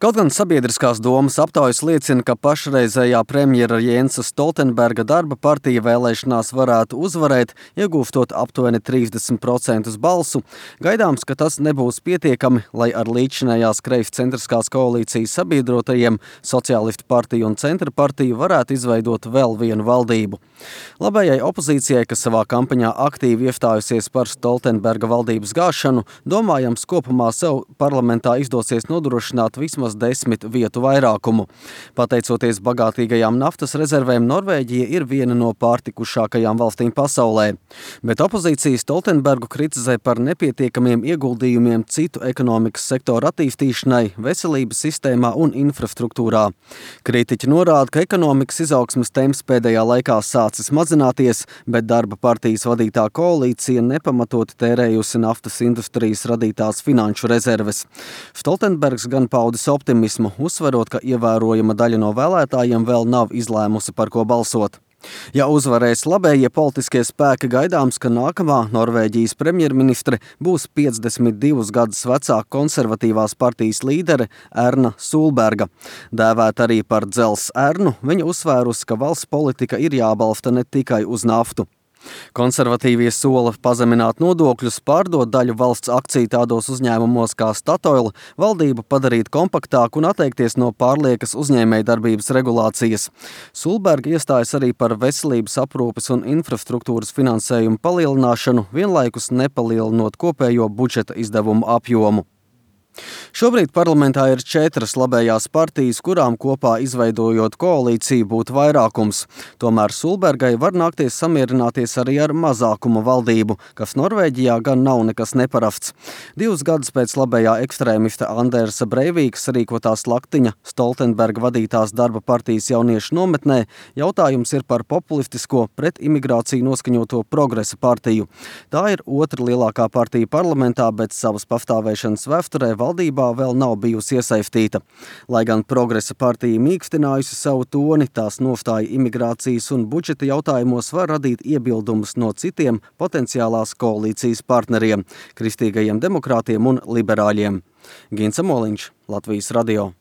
Kaut gan sabiedriskās domas aptaujas liecina, ka pašreizējā premjera Jensa Stoltenberga darba partija vēlēšanās varētu uzvarēt, iegūstot aptuveni 30% balsu, gaidāms, ka tas nebūs pietiekami, lai ar līdzinējās kreiscentriskās koalīcijas sabiedrotajiem Sociālistu partiju un Centra partiju varētu izveidot vēl vienu valdību. Labējai opozīcijai, kas savā kampaņā aktīvi iestājusies par Stoltenberga valdības gāšanu, domājams, kopumā sev parlamentā izdosies nodrošināt vismaz 10 vietu vairākumu. Pateicoties bagātīgajām naftas rezervēm, Norvēģija ir viena no pārtikušākajām valstīm pasaulē. Bet opozīcija Stoltenbergu kritizē par nepietiekamiem ieguldījumiem citu ekonomikas sektoru attīstīšanai, veselības sistēmā un infrastruktūrā. Kritiķi norāda, ka ekonomikas izaugsmes temps pēdējā laikā sācis mazināties, bet darba partijas vadītā koalīcija nepamatoti tērējusi naftas industrijas radītās finanšu rezerves. Stoltenbergs gan paudis optimismu, uzsverot, ka ievērojama daļa no vēlētājiem vēl nav izlēmusi, par ko balsot. Ja uzvarēs labējie politiskie spēki, gaidāms, ka nākamā Norvēģijas premjerministre būs 52 gadus vecā konservatīvās partijas līdere Erna Solberga. Dēvēta arī par Dzels Ernu, viņa uzsvērusi, ka valsts politika ir jābalsta ne tikai uz naftu. Konservatīvie sola pazemināt nodokļus, pārdot daļu valsts akciju tādos uzņēmumos kā Statoil, valdību padarīt kompaktāku un atteikties no pārliekas uzņēmējdarbības regulācijas. Solberga iestājas arī par veselības aprūpes un infrastruktūras finansējumu palielināšanu, vienlaikus nepalielinot kopējo budžeta izdevumu apjomu. Šobrīd parlamentā ir 4 labējās partijas, kurām kopā izveidojot koalīciju būtu vairākums. Tomēr Solbergai var nākties samierināties arī ar mazākuma valdību, kas Norvēģijā gan nav nekas neparasts. 2 gadus pēc labējā ekstrēmista Andersa Breivīkas rīkotā slaktiņa Stoltenberga vadītās darba partijas jauniešu nometnē jautājums ir par populistisko pret imigrāciju noskaņoto Progresa partiju. Tā ir otra lielākā partija parlamentā, bet savas pastāvēšanas vēsturē valdībā vēl nav bijusi iesaistīta. Lai gan Progresa partija mīkstinājusi savu toni, tās nostāja imigrācijas un budžeta jautājumos var radīt iebildumus no citiem potenciālās koalīcijas partneriem – kristīgajiem demokrātiem un liberāļiem. Gins Amoliņš, Latvijas radio.